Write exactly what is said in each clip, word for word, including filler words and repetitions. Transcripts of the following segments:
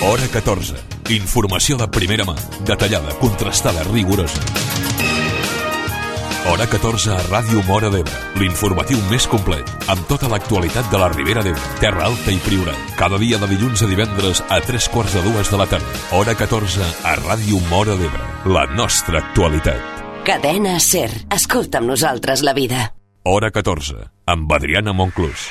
Hora catorze. Informació de primera mà, detallada, contrastada, rigorosa. Hora catorze a Ràdio Móra d'Ebre, l'informatiu més complet, amb tota l'actualitat de la Ribera d'Ebre, Terra Alta i Priorat. Cada dia de dilluns a divendres a tres quarts de dues de la tarda. Hora catorze a Ràdio Móra d'Ebre, la nostra actualitat. Cadena SER. Escolta amb nosaltres la vida. Hora catorze, amb Adriana Monclús.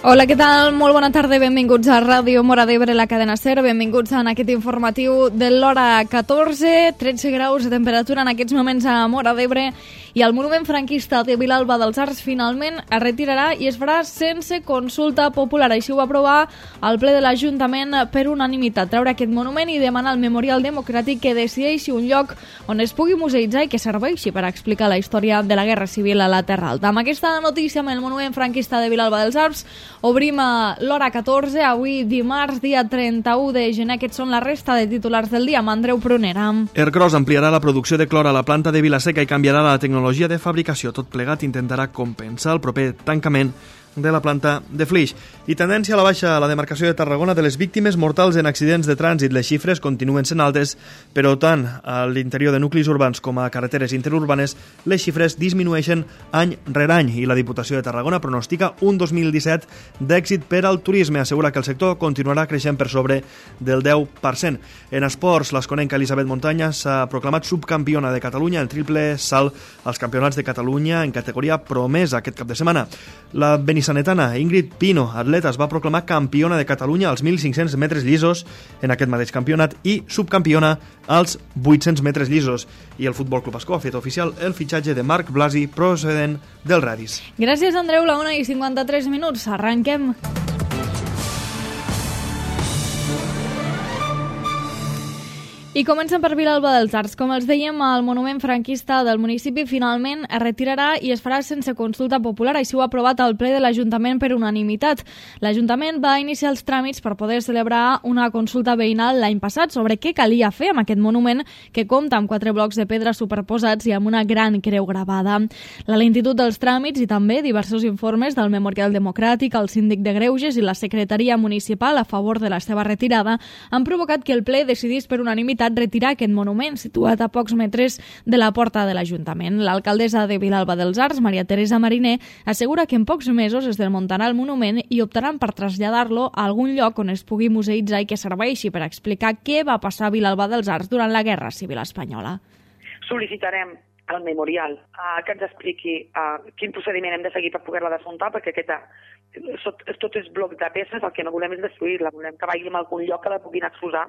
Hola, què tal? Molt bona tarda, benvinguts a Ràdio Móra d'Ebre, la cadena SER, benvinguts en aquest informatiu de l'hora catorze, tretze graus de temperatura en aquests moments a Móra d'Ebre, i el monument franquista de Vilalba dels Arcs finalment es retirarà i es farà sense consulta popular. Així ho va aprovar el ple de l'Ajuntament per unanimitat, treure aquest monument i demanar al Memorial Democràtic que decideixi un lloc on es pugui museïtzar i que serveixi per explicar la història de la Guerra Civil a la Terra Alta. Amb aquesta notícia, amb el monument franquista de Vilalba dels Arcs, obrim a l'hora catorze, avui dimarts, dia trenta-u de gener. Aquests són la resta de titulars del dia, amb Andreu Prunera. Ercros ampliarà la producció de clor a la planta de Vilaseca i canviarà la tecnologia de fabricació. Tot plegat intentarà compensar el proper tancament de la planta de Flix. I tendència a la baixa a la demarcació de Tarragona de les víctimes mortals en accidents de trànsit. Les xifres continuen sent altes, però tant a l'interior de nuclis urbans com a carreteres interurbanes les xifres disminueixen any rere any i la Diputació de Tarragona pronostica un dos mil disset d'èxit per al turisme. Assegura que el sector continuarà creixent per sobre del deu per cent. En esports, l'esconenca Elisabet Montanya s'ha proclamat subcampiona de Catalunya en triple salt als campionats de Catalunya en categoria promesa aquest cap de setmana. La benissanetana Ingrid Pino, atleta, es va proclamar campiona de Catalunya als mil cinc-cents metres llisos en aquest mateix campionat i subcampiona als vuit-cents metres llisos. I el Futbol Club Ascó ha fet oficial el fitxatge de Marc Blasi procedent del Radis. Gràcies, Andreu. La una i cinquanta-tres minuts. Arranquem. I comencem per Vilalba dels Arcs. Com els dèiem, el monument franquista del municipi finalment es retirarà i es farà sense consulta popular. Així ho ha aprovat el ple de l'Ajuntament per unanimitat. L'Ajuntament va iniciar els tràmits per poder celebrar una consulta veïnal l'any passat sobre què calia fer amb aquest monument que compta amb quatre blocs de pedra superposats i amb una gran creu gravada. La lentitud dels tràmits i també diversos informes del Memorial Democràtic, el Síndic de Greuges i la Secretaria Municipal a favor de la seva retirada han provocat que el ple decidís per unanimitat retirar aquest monument situat a pocs metres de la porta de l'Ajuntament. L'alcaldessa de Vilalba dels Arcs, Maria Teresa Mariner, assegura que en pocs mesos es desmuntarà el monument i optaran per traslladar-lo a algun lloc on es pugui museïtzar i que serveixi per explicar què va passar a Vilalba dels Arcs durant la Guerra Civil Espanyola. Sol·licitarem al Memorial uh, que ens expliqui uh, quin procediment hem de seguir per poder-la desmuntar, perquè aquesta tot, tot és bloc de peces, el que no volem és destruir-la, volem que vagi a algun lloc que la puguin exposar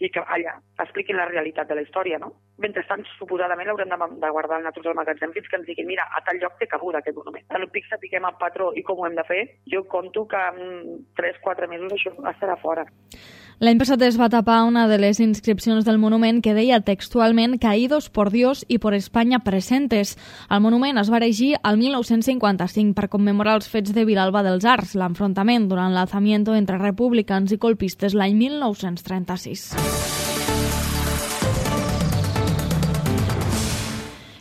i que allà expliquin la realitat de la història, no? Mentrestant, suposadament, l'haurem de, de guardar en nosaltres al magatzem fins que ens diguin, mira, a tal lloc té cabuda aquest monument. Tant pic sapiguem el patró i com ho hem de fer, jo conto que en tres quatre mesos això estarà fora. L'any passat es va tapar una de les inscripcions del monument que deia textualment «Caídos por Dios y por España presentes». El monument es va erigir al mil nou-cents cinquanta-cinc per commemorar els fets de Vilalba dels Arcs, l'enfrontament durant l'alzamiento entre republicans i colpistes l'any mil nou-cents trenta-sis.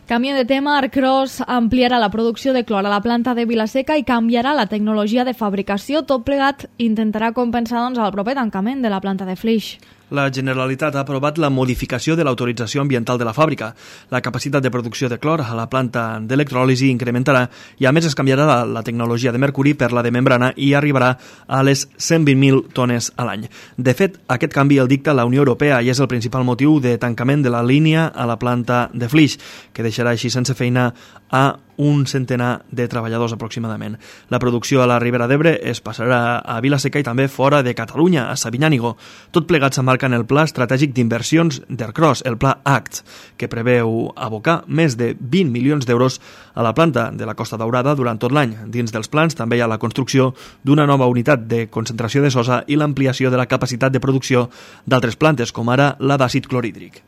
Canvia de tema, Ercros ampliarà la producció de clor a la planta de Vilaseca i canviarà la tecnologia de fabricació. Tot plegat intentarà compensar doncs, el proper tancament de la planta de Flix. La Generalitat ha aprovat la modificació de l'autorització ambiental de la fàbrica. La capacitat de producció de clor a la planta d'electròlisi incrementarà i a més es canviarà la, la tecnologia de mercuri per la de membrana i arribarà a les cent vint mil tones a l'any. De fet, aquest canvi el dicta la Unió Europea i és el principal motiu de tancament de la línia a la planta de Flix, que deixarà així sense feina a un centenar de treballadors aproximadament. La producció a la Ribera d'Ebre es passarà a Vilaseca i també fora de Catalunya, a Sabinyànigo. Tot plegat s'emmarca en el Pla Estratègic d'Inversions d'Ercros, el Pla A C T, que preveu abocar més de vint milions d'euros a la planta de la Costa Daurada durant tot l'any. Dins dels plans també hi ha la construcció d'una nova unitat de concentració de sosa i l'ampliació de la capacitat de producció d'altres plantes, com ara la d'àcid clorhídric.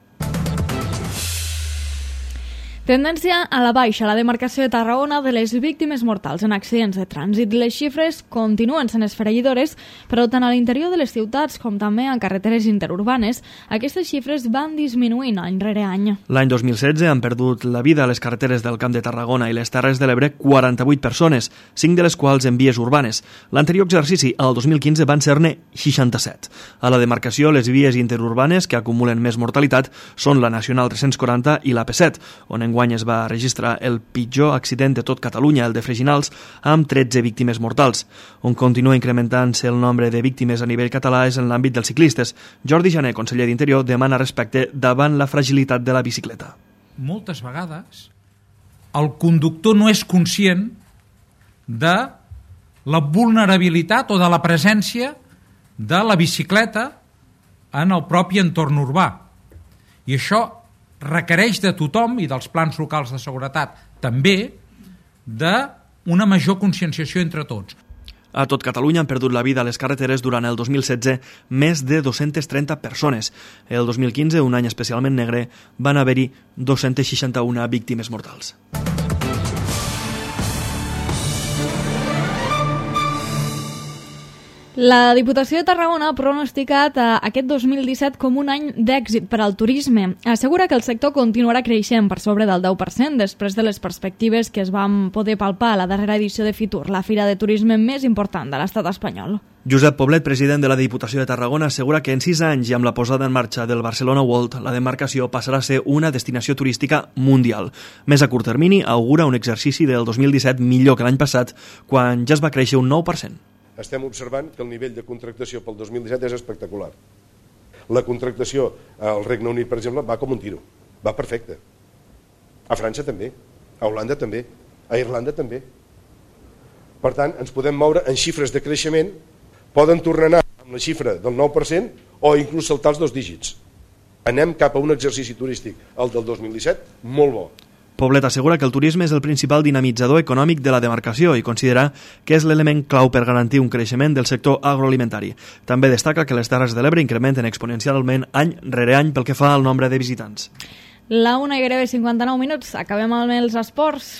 Tendència a la baixa a la demarcació de Tarragona de les víctimes mortals en accidents de trànsit. Les xifres continuen sent esfereïdores, però tant a l'interior de les ciutats com també en carreteres interurbanes, aquestes xifres van disminuint any rere any. L'any dos mil setze han perdut la vida a les carreteres del Camp de Tarragona i les Terres de l'Ebre quaranta-vuit persones, cinc de les quals en vies urbanes. L'anterior exercici, el dos mil quinze, van ser-ne seixanta-set. A la demarcació, les vies interurbanes que acumulen més mortalitat són la Nacional tres-cents quaranta i la P set, on enguany es va registrar el pitjor accident de tot Catalunya, el de Freginals, amb tretze víctimes mortals. On continua incrementant-se el nombre de víctimes a nivell català és en l'àmbit dels ciclistes. Jordi Jané, conseller d'Interior, demana respecte davant la fragilitat de la bicicleta. Moltes vegades el conductor no és conscient de la vulnerabilitat o de la presència de la bicicleta en el propi entorn urbà. I això requereix de tothom i dels plans locals de seguretat també d'una major conscienciació entre tots. A tot Catalunya han perdut la vida a les carreteres durant el dos mil setze més de dos-centes trenta persones. El dos mil quinze, un any especialment negre, van haver-hi dos-centes seixanta-una víctimes mortals. La Diputació de Tarragona ha pronosticat aquest dos mil disset com un any d'èxit per al turisme. Assegura que el sector continuarà creixent per sobre del deu per cent després de les perspectives que es van poder palpar a la darrera edició de Fitur, la fira de turisme més important de l'estat espanyol. Josep Poblet, president de la Diputació de Tarragona, assegura que en sis anys i amb la posada en marxa del Barcelona World, la demarcació passarà a ser una destinació turística mundial. Més a curt termini, augura un exercici del dos mil disset millor que l'any passat, quan ja es va créixer un nou per cent. Estem observant que el nivell de contractació pel dos mil disset és espectacular. La contractació al Regne Unit, per exemple, va com un tiro. Va perfecte. A França també, a Holanda també, a Irlanda també. Per tant, ens podem moure en xifres de creixement, poden tornar a anar amb la xifra del nou per cent o inclús saltar els dos dígits. Anem cap a un exercici turístic, el del dos mil disset, molt bo. Poblet assegura que el turisme és el principal dinamitzador econòmic de la demarcació i considera que és l'element clau per garantir un creixement del sector agroalimentari. També destaca que les Terres de l'Ebre incrementen exponencialment any rere any pel que fa al nombre de visitants. La una i gairebé cinquanta-nou minuts. Acabem amb els esports.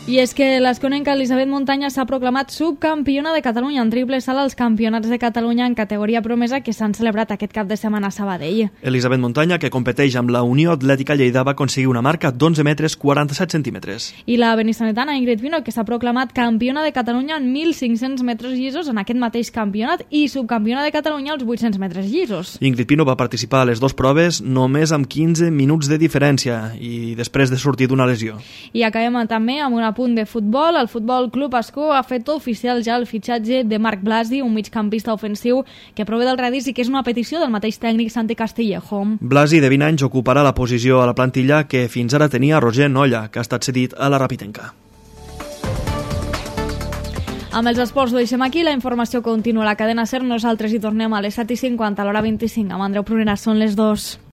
I és que l'esconenca Elisabet Montanya s'ha proclamat subcampiona de Catalunya en triple salt als Campionats de Catalunya en categoria promesa que s'han celebrat aquest cap de setmana a Sabadell. Elisabet Montanya, que competeix amb la Unió Atlètica Lleida, va aconseguir una marca d'onze metres quaranta-set centímetres. I la benissanetana Ingrid Pino, que s'ha proclamat campiona de Catalunya en mil cinc-cents metres llisos en aquest mateix campionat i subcampiona de Catalunya als vuit-cents metres llisos. Ingrid Pino va participar a les dues proves només amb quinze minuts de diferència i després de sortir d'una lesió. I acabem també amb una punt de futbol. El Futbol Club Ascó ha fet oficial ja el fitxatge de Marc Blasi, un migcampista ofensiu que prové del Radis i que és una petició del mateix tècnic Santi Castillejo. Blasi, de vint anys, ocuparà la posició a la plantilla que fins ara tenia Roger Nolla, que ha estat cedit a la Rapitenca. Amb els esports ho deixem aquí, la informació continua a la cadena SER. Nosaltres hi tornem a les set i cinquanta, a l'hora vint-i-cinc. Amb Andreu Prunera són les dues.